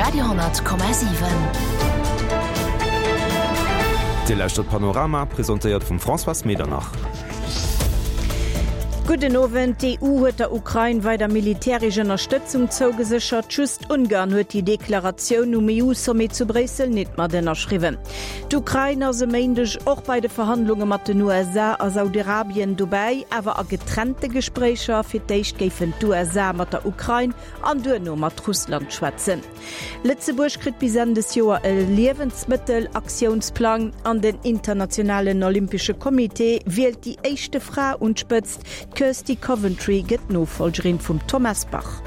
Radio,7. Dir lauschtert Panorama, presentéiert vum Françoise Medernach. Gudden Owend. D'EU huet der Ukrain weider militäresch Ënnerstëtzung zougeséchert. Just Ungarn huet déi Deklaratioun um EU-Sommet zu Bréissel nit mat ënnerschriwwen. D'Ukrain ass e Méindeg och bei de Verhandlunge mat den USA a Saudiarabien dobäi, awer a getrennte Gespréicher. Fir d'éischt géifen d'USA mat der Ukrain an duerno mat Russland schwätzen. Lëtzebuerg kritt bis Enn des Joer e Liewensmëttel-Aktiounsplang an den Internationalen Olympesche Comité wielt déi éischte Fra un d'Spëtzt. D'Kirsty Coventry gëtt d'Nofollgerin vum Thomas Bach.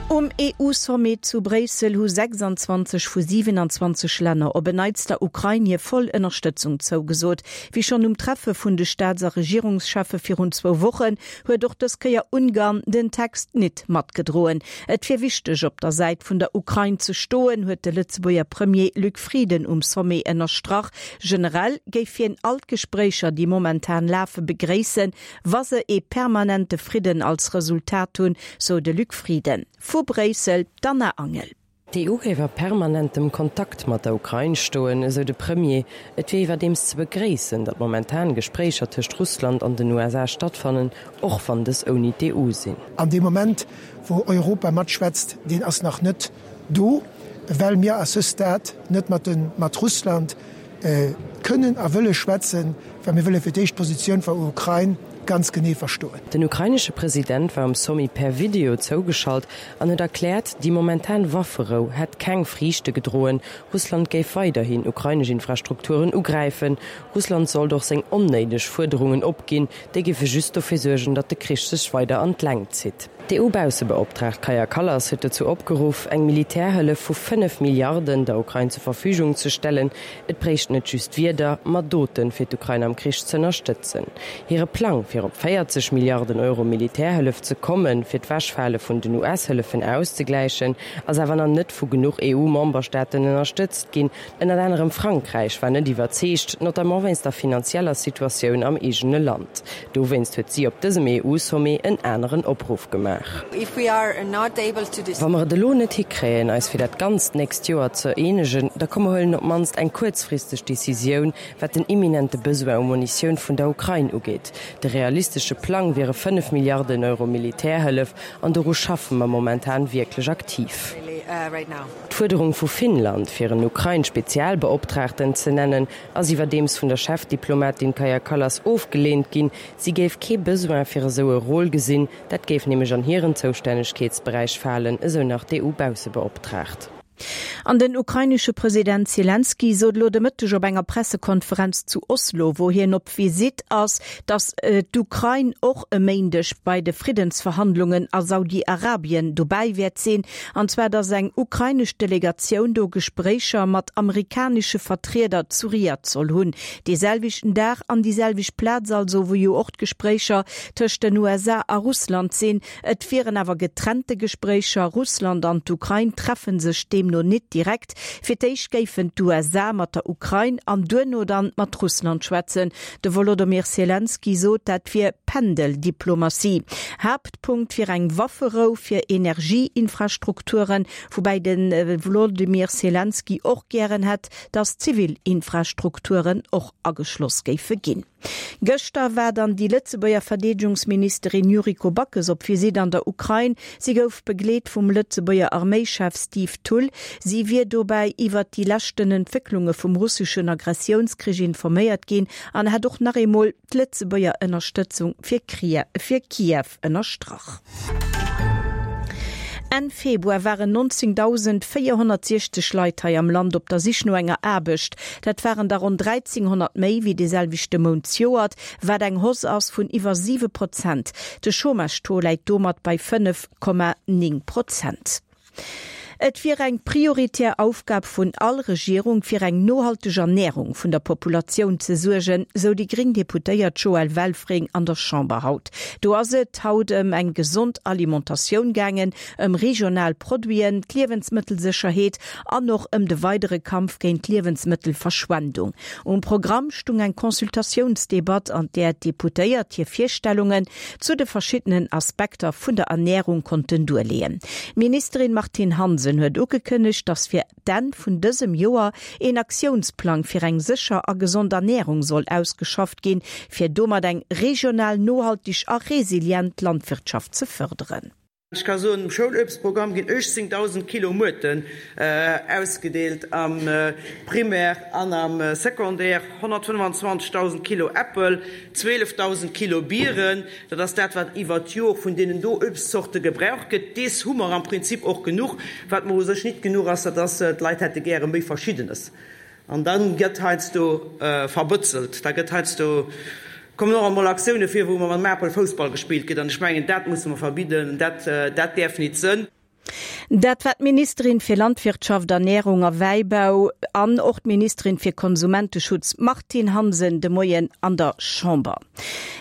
Um EU-Sommet zu Bréissel hu 26 vu 27 Länner op en Neits der Ukrain hir voll Ënnerstëtzung zougesot. Wéi schonn um Treffe vun de Staats a Regierungscheffe virun zwou Wochen huet och dës Kéier Ungarn den Text nit matgedroen. Et wier wichteg, op der Säit vun der Ukrain ze stoen, huet de Lëtzebuerger Premier Luc Frieden um Sommet ënnerstrach. Generell géif hien all d'Gespréicher, déi momentan lafe, begréissen, wa se ee permanente Fridden als Resultat hunn, sou de Luc Frieden. Vu Bréissel, d'Anna Angel. D'EU géif a permanentem Kontakt mat der Ukrain stoen, esou de Premier. Et wier iwwerdeems ze begréissen, datt momentan Gespréicher tëscht Russland an den USA stattfannen, och wann dës ouni d'EU sinn. An dee Moment, wou Europa matschwätzt, deen ass nach net do, well mir à ce stade net mat de mat Russland kënnen a wëlle schwätzen, well mir wëlle fir d'éischt d'Positioun vun der Ukrain ganz genee verstoen. Den ukrainesche President war um Sommet per Video zougeschalt an huet erkläert, déi momentan Wafferou hätt keng Friichte gedroen. Russland géif weiderhin ukrainesch Infrastrukturen ugräifen. Russland sollt och seng onnéideg Fuerderungen opginn, déi géife just dofir suergen, datt de Krich sech weider an d'Längt zitt. D'EU-Baussebeoptraagt Kaja Kallas huet dozou opgeruff, eng Militärhëllef vu 5 Milliarden der Ukrain zur Verfügung ze stellen. Et bréicht net just Wierder, ma Doten, fir d'Ukrain am Krich z'ënnerstëtzen. Hire Plang, fir op 40 Milliarden Euro Militärhëllef ze kommen, fir d'Wechfale vun den US-Hëllefen auszegläichen, ass awer nach net vu genuch EU-Memberstaaten ënnerstëtzt ginn. Ënnert anerem Frankräich war net iwwerzeegt, notamment wéinst der finanzieller Situatioun am eegene Land. Dowéinst huet si op dësem EU-Sommet en aneren Opruff gemaach. Wa mer et elo net hikréien, eis fir dat ganzt nächst Joer ze eenegen, da komm mer huelen op d'mannst eng kuerzfristeg Decisioun, wat den imminente Besoin u Munitioun vun der Ukrain ugeet. De realistesche Plang wiere 5 Milliarden Euro Militärhëllef, an doru schaffe mer momentan wierklech aktiv. D'Fuerderung vu Finnland, fir en Ukrain-Spezialbeoptraagten ze nennen, ass iwwerdeems vun der Chefdiplomatin Kaja Kallas ofgeleent ginn. Si géif kee Besoin fir esou e Rôle gesinn, dat géif nämlech an hiren Zoustännegkeetsberäich falen, esou nach d'EU-Baussebeoptraagt. An den ukrainesche President Selenskyj sot elo de Mëtteg op enger Pressekonferenz zu Oslo, wou hien op Visitt ass, datt d'Ukrain och e Méindeg bei de Friddensverhandlungen a Saudi-Arabien dobäi wäert sinn. An zwar datt eng ukrainesch Delegatioun do Gespréicher mat amerikanesche Vertrieder zu Riad soll hunn. Dee selwechten Dag an déi selwecht Plaz also, wou jo och d'Gespréicher tëscht den USA a Russland sinn. Et wieren awer getrennte Gespréicher. Russland an d'Ukrain treffe sech deemno nit direkt. Fir d'éischt géifen d'USA mat der Ukrain an duerno dann mat Russland schwätzen. De Wolodomyr Selenskyj sot, dat wier Pendeldiplomatie. Haaptpunkt wier eng Wafferou fir Energieinfrastrukturen, woubäi de Wlodymyr Selenskyj och gären hätt, datt zivil Infrastrukturen och ageschloss géife ginn. Gëschter war dann déi Lëtzebuerger Verdeedegungsministerin Yuriko Backes op Visitt an der Ukrain. Si gouf begleet vum Lëtzebuerger Arméischef Steve Thull. Si wier dobäi iwwert déi leschten Entwécklunge vum russeschen Agressiounskrich informéiert ginn an hätt och nach eemol d'Lëtzebuerger Ënnerstëtzung fir Kiew ënnerstrach. Enn Februar waren 19.460 Leit hei am Land op der Sich no enger Aarbecht. Dat waren der ronn 1.300 méi wéi dee selwechte Mount zejoert, wat eng Hausse ass vun iwwer 7 Prozent. De Chômage-Taux läit domat bei 5,9 Prozent. Et wier eng prioritär Aufgab vun all Regierung, fir eng nohalteg Ernärung vun der Populatioun ze suergen, sou déi gréng Deputéiert Joëlle Welfring an der Chamber haut. Do ass et haut ëm eng gesond Alimentatioun gaangen, ëm regional Produiten, d'Liewensmëttelsécherheet an och ëm de weidere Kampf géint d'Liewensmëttelverschwendung. Um Programm stung eng Consultatiounsdebatt, an där d'Deputéiert hir Virstellungen zu de verschiddenen Aspekter vun der Ernärung konnten duerleeën. D'Ministerin Martine Hansen huet ugekënnegt, datt fir d'Enn vun dësem Joer een Aktiounsplang fir eng sécher a gesond Ernärung soll ausgeschafft ginn, fir domat eng regional nohalteg a resilient Landwirtschaft ze fërderen. Ech ka soen, um Schouluebstprogramm ginn 18.000 Kilo Muerten ausgedeelt am Primaire an am Secondaire, 125.000 Kilo Äppel, 12.000 Kilo Bieren. Dat ass dat, wat iwwert d'Jor vun deenen do Uebstzorte gebraucht gëtt. Dees hu mer am Prinzip och genuch. Wat mer u sech nit genuch ass, dat ass, d'Leit hätte gäre méi Verschiddenes. An da gëtt heiansdo verbëtzelt, da gëtt heiansdo, kommen och emol Aktioune vir, wou mam Apel Foussball gespillt gëtt. An ech mengen, dat musse mer verbidden, dat, dat däerf nit sënn. Dat war d'Ministerin fir Landwirtschaft, Ernährung a Wäibau an och d'Ministerin fir Konsumenteschutz Martine Hansen de Moien an der Chamber.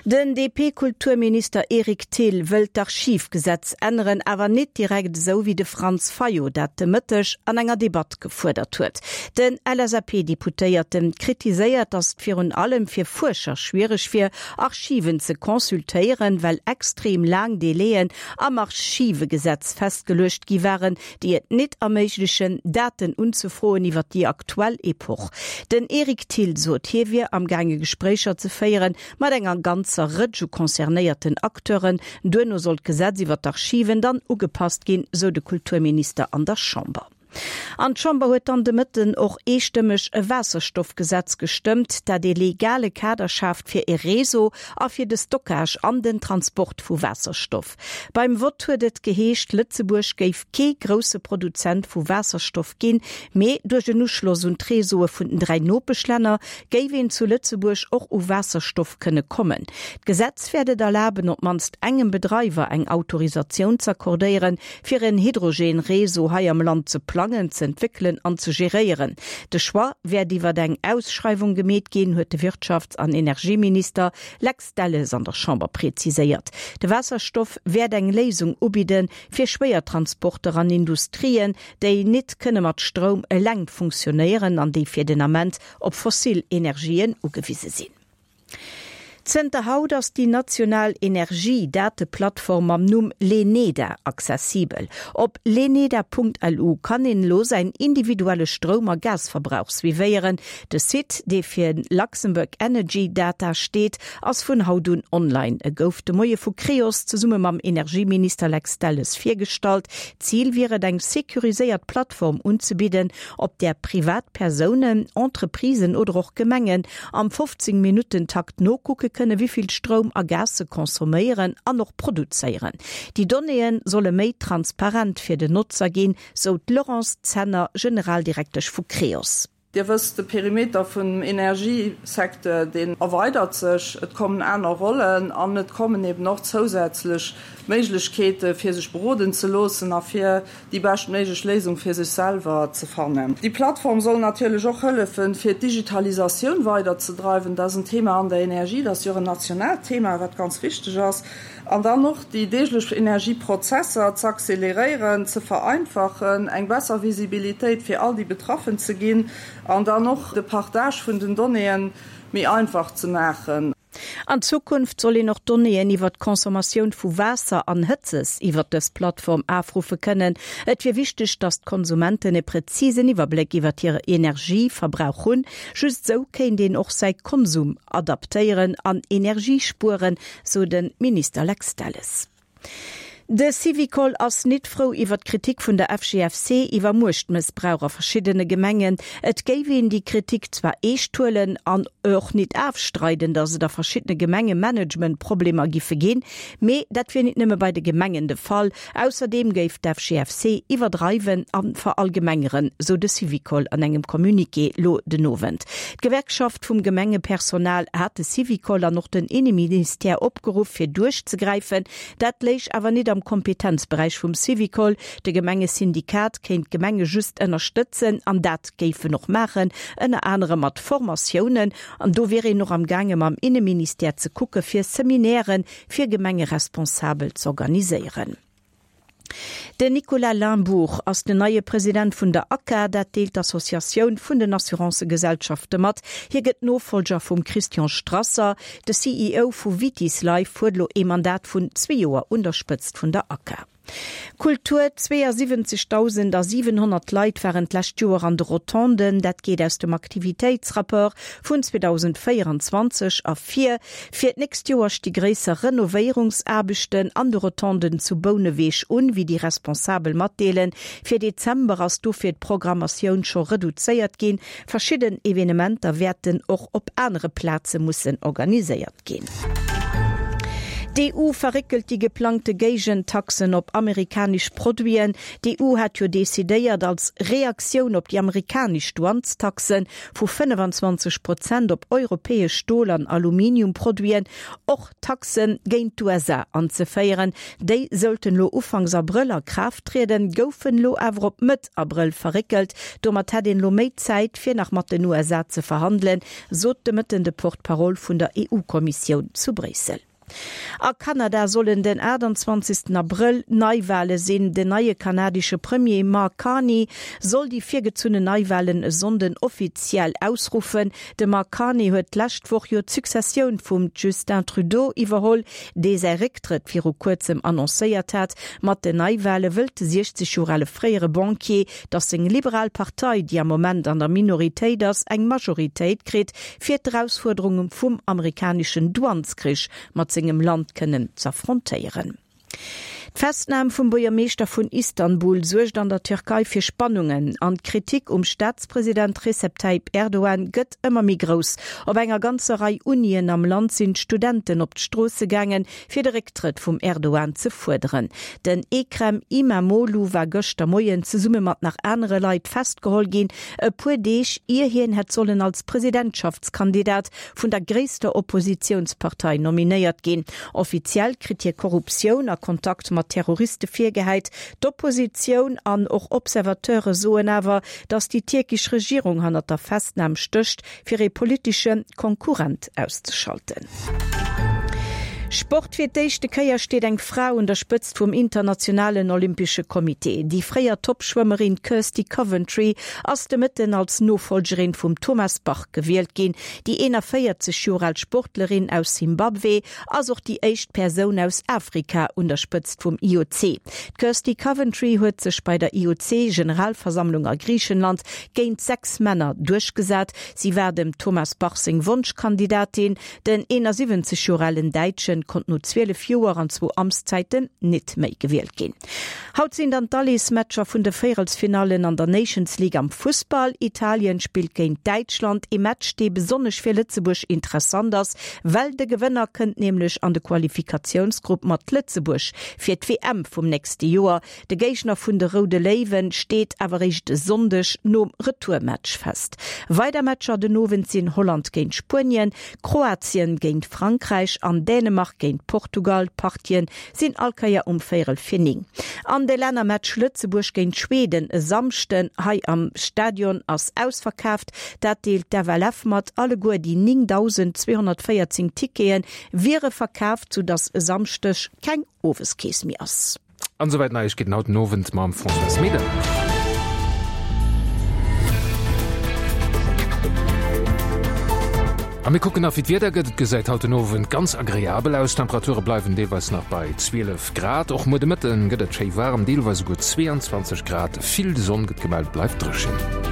Den DP-Kulturminister Eric Thill wëllt d'Archivgesetz änneren, awer nit direkt esou wéi de Franz Fayot dat de Mëtteg an enger Debatt gefuerdert huet. Den LSAP-Deputéierten kritiséiert, datt et virun allem fir Fuerscher schwiereg wier, Archiven ze consultéieren, well extrem laang Délaiën am Archivegesetz festgeluecht gi waren, déi et nit erméiglechen, Daten unzefroen iwwer déi aktuell Epoch. Den Eric Thill sot, hie wier am gaange Gespréicher ze féieren mat enger ganzer Rëtsch u concernéierten Acteuren. Duerno soll d'Gesetz iwwer d'Archiven dann ugepasst ginn, sou de Kulturminister an der Chamber. An d'Chamber huet dann de Mëtten och eestëmmeg e Waasserstoffgesetz gestëmmt, dat ee legale Kader schaaft fir ee Réseau a fir de Stockage an den Transport vu Waasserstoff. Beim Vott huet et geheescht, Lëtzebuerg géif kee grousse Produzent vu Waasserstoff ginn, mee duerch en Uschloss un d'Réseaue vun den 3 Nopeschlänner géif een zu Lëtzebuerg och u Waasserstoff kënne kommen. D'Gesetz wäert et erlaben, op d'mannst engem Bedreiwer eng Autorisatioun z'accordéieren, fir en Hydrogen-Réseau hei am Land ze plangen, z'entwéckelen an ze geréieren. De Choix wäert iwwer eng Ausschreiwung gemeet ginn, huet de Wirtschafts an Energieminister Lex Delles an der Chamber präziséiert. De Waasserstoff wäert eng Léisung ubidde fir Schwéiertransporter an Industrien, déi nit kënne mat Stroum eleng funktionéieren an déi fir den Ament op fossil Energien ugewise sinn. Zënter haut ass déi national Energie-Dateplattform mam Numm Leneda accessibel. Op leneda.lu kann een elo säin individuelle Stroum a Gasverbrauch suivéieren. De Site, dee fir Luxembourg Energy Data steet, ass vun haut un online. E gouf de Moie vu Creos zesumme mam Energieminister Lex Delles virgestallt. Zil wier et, eng securiséiert Plattform unzebidden, op där Privatpersounen, Entreprisen oder och Gemengen am 15 Minutten-Takt nokucke kënne wéi vill Stroum a Gas se consomméieren an och produzéieren. Déi Donnéeë solle méi transparent fir den Notzer ginn, sou d'Laurence Zenner, Generaldirektesch vu Creos. Dir wësst, de Perimeter vum Energiesecteur, deen erweidert sech, et kommen aner Rollen an et kommen eben och zousätzlech Méiglechkeete fir sech beroden ze loossen a fir déi beschtméiglech Léisung fir sech selwer ze fannen. Déi Plattform soll natierlech och hëllefen, fir d'Digitalisatioun weiderzedreiwen. Dat ass en Thema an der Energie, dat ass jo och en nationaalt Thema, wat ganz wichteg ass. An dann och déi deeglech Energieprozesser z'acceleréieren, ze vereinfachen, eng besser Visibilitéit fir all déi Betraffen ze ginn an dann och de Partage vun den Donnéeën méi einfach ze maachen. An Zukunft soll een och Donnéeën iwwer d'Consommatioun vu Waasser an Hëtzes iwwer dës Plattform afruffe kënnen. Et wier wichteg, datt d'Konsumenten e präzisen Iwwerbléck iwwer hire Energieverbrauch hunn. Just esou kéint een och säi Konsum adaptéieren an Energie spueren, sou de Minister Lex Delles. De Syvicol ass nit frou iwwer d'Kritik vun der FGFC iwwer Muechtmëssbrauch a verschiddene Gemengen. Et géif een déi Kritik zwar eescht huelen an och nit afstreiden, datt et a verschiddene Gemenge Managementproblemer giffe ginn, mee dat wier nit nëmme bei de Gemengen de Fall. Ausserdeem géif d'FGFC iwwerdreiwen a verallgemengeren, sou de Syvicol an engem Communiqué lo den Owend. D'Gewerkschaft vum Gemengepersonal hat de Syvicol an och den Inneministère opgeruff fir duerchzegräifen. Dat léich awer nit am. am Kompetenzberäich vum Syvicol. De Gemengesyndikat kéint d'Gemenge just ënnerstëtzen an dat géif en och maachen, ënner anerem mat Formatiounen. An do wier een och am gaange mam Inneministère ze kucke fir Seminäre fir Gemengeresponsabel z'organiséieren. Den Nicolas Limbourg ass den neie President vun der ACA. Dat deelt d'Associatioun vun den Assurancëgesellschafte mat. Hie gëtt Nofollger vum Christian Strasser. De CEO vu Vitis Life huet elo ee Mandat vun zwee Joer un der Spëtzt vun der ACA. Kultur, 72.700 Leit waren d'lescht Joer an de Rotonden. Dat geet aus dem Aktivitéitsrapport vun 2024 ervir. Fir d'nächst Joer sti gréisser Renovéierungsaarbechten an de Rotonden zu Bouneweg un, wéi déi Responsabel matdeelen. Fir Dezember ass dofir d'Programmatioun scho reduzéiert ginn. Verschidden Evenementer wäerten och op anere Plaze mussen organiséiert ginn. D'EU verréckelt déi geplangte Géigentaxen op amerikanesch Produiten. D'EU hat jo decidéiert, als Reaktioun op déi amerikanesch Douanestaxe vu 25 Prozent op europäesch Stol an Aluminiumproduiten och Taxe géint d'USA anzeféieren. Déi sollten elo Ufanks Abrëll a Kraaft trieden, goufen elo awer op Mëtt Abrëll verréckelt. Domat hätt een elo méi Zäit, fir nach mat den USA ze verhandelen, sot de Mëtten de Porte-parole vun der EU-Kommissioun zu Bréissel. A Kanada sollen den 28 Abrëll Neiwale sinn. Den neie kanadesche Premier Mark Carney soll déi virgezunnen Neiwalen e Sonnden offiziell ausruffen. De Mark Carney huet d'lescht Woch jo d'Successioun vum Justin Trudeau iwwerholl, dee säi Récktrëtt viru kuerzem annoncéiert hat. Mat den Neiwale wëllt de 60 Joer ale fréiere Banquier, datt seng liberal Partei, déi am Moment an der Minoritéit ass, eng Majoritéit kritt, fir d'Erausfuerderunge vum amerikaneschen Douaneskrich mat sengem Land kënnen z'affrontéieren. D'Festnam vum Buergermeeschter vun Istanbul suergt an der Türkei fir Spannungen an d'Kritik um Staatspresident Recep Tayyip Erdogan gëtt ëmmer méi grouss. Op enger ganzer Rei Unien am Land sinn d'Studenten op d'Stroosse gaangen, fir de Récktrëtt vum Erdogan ze fuerderen. Den Ekrem Imamoglu war gëschter Moien zesumme mat nach anere Leit festgeholl ginn, e puer Deeg ier hien hätt sollen als Presidentschaftskandidat vun der gréisster Oppositiounspartei nominéiert ginn. Offiziell kritt hie Korruptioun a Kontakt mat Terroriste virgehäit. D'Oppositioun an och Observateure soen awer, datt déi tierkesch Regierung hannert der Festnam stécht, fir ee politesche Konkurrent auszeschalten. Sport, Fir d'éischte Kéier steet eng Fra un der Spëtzt vum internationalen Olympesche Comité. Déi fréier Toppschwëmmerin Kirsty Coventry ass de Mëtten als Nofollgerin vum Thomas Bach gewielt ginn. Déi 41 Joer al Sportlerin aus Simbabwe ass och déi éischt Persoun aus Afrika un der Spëtzt vum IOC. D'Kirsty Coventry huet sech bei der IOC-Generalversammlung a Griichenland géint 6 Männer duerchgesat. Si war dem Thomas Bach seng Wonschkandidatin. Den 71 Joer alen Däitschen konnt no 12 Joer an zwou Amtszäiten nit méi gewielt ginn. Haut sinn dann d'Alleesmatcher vun de Véierelsfinallen an der Nations League am Fussball. Italien spillt géint Däitschland, ee Match dee besonnesch fir Lëtzebuerg interessant ass, well de Gewënner kënnt nämlech an de Qualifikatiounsgrupp mat Lëtzebuerg fir d'WM vum nächste Joer. De Géigner vun de Roude Léiwen steet awer réischt e Sonndeg nom Retourmatch fest. Weider Matcher den Owend sinn Holland géint Spuenien, Kroatien géint Frankräich an Dänemark géint Portugal. D'Partien sinn all Kéier um véierel fir 9. An de Lännermatch Lëtzebuerg géint Schweden e Samschden hei am Stadion ass ausverkaaft. Dat deelt d'FLF mat. Alleguer déi 9.214 Tickete wiere verkaaft, soudass e Samschdeg keng Oweskeess méi ass. An esouwäit Neiegkeeten haut den Owend mam Françoise Medernach. A mir kucken nach wéi d'Wieder gëtt. Et gesäit haut den Owend ganz agreabel aus, d'Temperature bleiwen deelweis nach bei 12 Grad. Och muer de Mëtten gëtt et schéi waarem, deelweis esouguer 22 Grad. Vill Sonn gëtt gemellt, bleift dréchen.